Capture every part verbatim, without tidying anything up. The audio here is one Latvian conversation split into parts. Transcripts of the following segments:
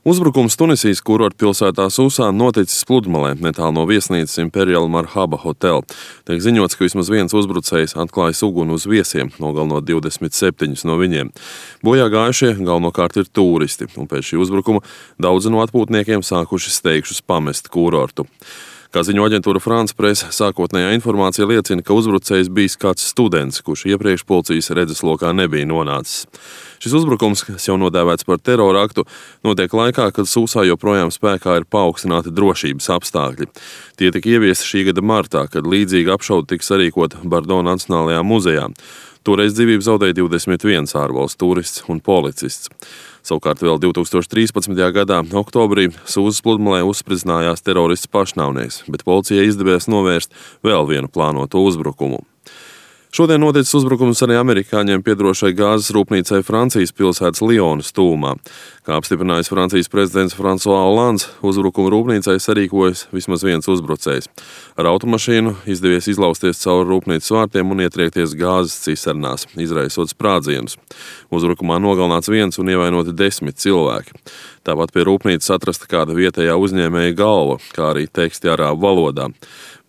Uzbrukums Tunisijas kurortpilsētā Susā noticis pludmalē, netālu no viesnīcas Imperial Marhaba Hotel. Tiek ziņots, ka vismaz viens uzbrucējs atklājis uguni uz viesiem, nogalinot divdesmit septiņus no viņiem. Bojā gājušie galvenokārt ir tūristi, un pēc šī uzbrukuma daudzi no atpūtniekiem sākuši steigšus pamest kurortu. Kā ziņo aģentūra France Presse, sākotnējā informācija liecina, ka uzbrucējs bijis kāds students, kurš iepriekš policijas redzeslokā nebija nonācis. Šis uzbrukums, kas jau nodēvēts par terora aktu, notiek laikā, kad Susā joprojām spēkā ir paaugstināti drošības apstākļi. Tie tika ieviesti šī gada martā, kad līdzīga apšaude tika sarīkota Bordo Nacionālajā muzejā. Toreiz dzīvību zaudēja divdesmit viens ārvalstu turists un policists. Savukārt vēl divtūkstoš trīspadsmitajā gadā oktobrī Sūzas pludmalē uzspridzinājās terorists pašnāvnieks, bet policijai izdevās novērst vēl vienu plānoto uzbrukumu. Šodien noticis uzbrukums arī amerikāņiem piederošai gāzes rūpnīcai Francijas pilsētas Lionas tūmā. Kā apstiprinājis Francijas prezidents François Hollands, uzbrukumu rūpnīcai sarīkojas vismaz viens uzbrucējs. Ar automašīnu izdevies izlausties cauri rūpnīcas vārtiem un ietriekties gāzes cisternās, izraisot sprādzienus. Uzbrukumā nogalināts viens un ievainoti desmit cilvēki. Tāpat pie rūpnīcas atrasta kāda vietējā uzņēmēja galva, kā arī teksti arābu valodā.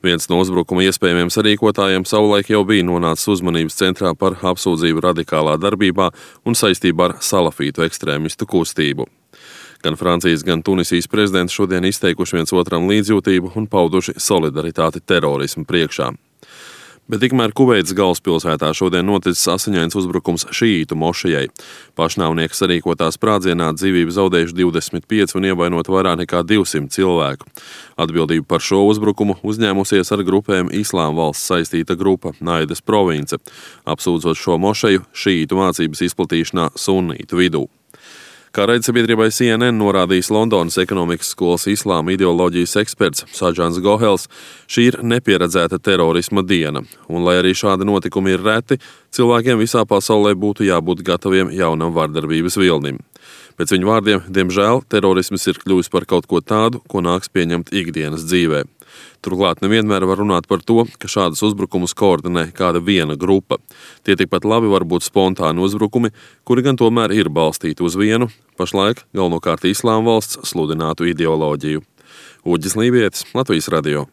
Viens no uzbrukuma iespējamiem sarīkotājiem savulaik jau bija nonācis uzmanības centrā par apsūdzību radikālā darbībā un saistībā ar salafītu ekstrēmistu kustību. Gan Francijas, gan Tunisijas prezidents šodien izteikuši viens otram līdzjūtību un pauduši solidaritāti terorismu priekšā. Bet tikmēr Kuveitas galvaspilsētā šodien noticis asiņains uzbrukums šīītu mošejai. Pašnāvnieka sarīkotā sprādzienā dzīvību zaudējuši divdesmit pieci un ievainot vairāk nekā divsimt cilvēku. Atbildību par šo uzbrukumu uzņēmusies ar grupēm Islāma valsts saistīta grupa Naidas province, apsūdzot šo mošeju šīītu mācības izplatīšanā sunnītu vidū. Kā raidsabiedrībai C N N norādījis Londonas ekonomikas skolas islāma ideoloģijas eksperts Saģans Gohels, šī ir nepieredzēta terorisma diena, un lai arī šādi notikumi ir reti, cilvēkiem visā pasaulē būtu jābūt gataviem jaunam vardarbības vilnim. Pēc viņu vārdiem, diemžēl, terorisms ir kļuvis par kaut ko tādu, ko nāks pieņemt ikdienas dzīvē. Turklāt nevienmēr var runāt par to, ka šādus uzbrukumus koordinē kāda viena grupa. Tie tikpat labi var būt spontāni uzbrukumi, kuri gan tomēr ir balstīti uz vienu, pašlaik galvenokārt Islāma valsts sludinātu ideoloģiju. Uģis Lībietis, Latvijas radio.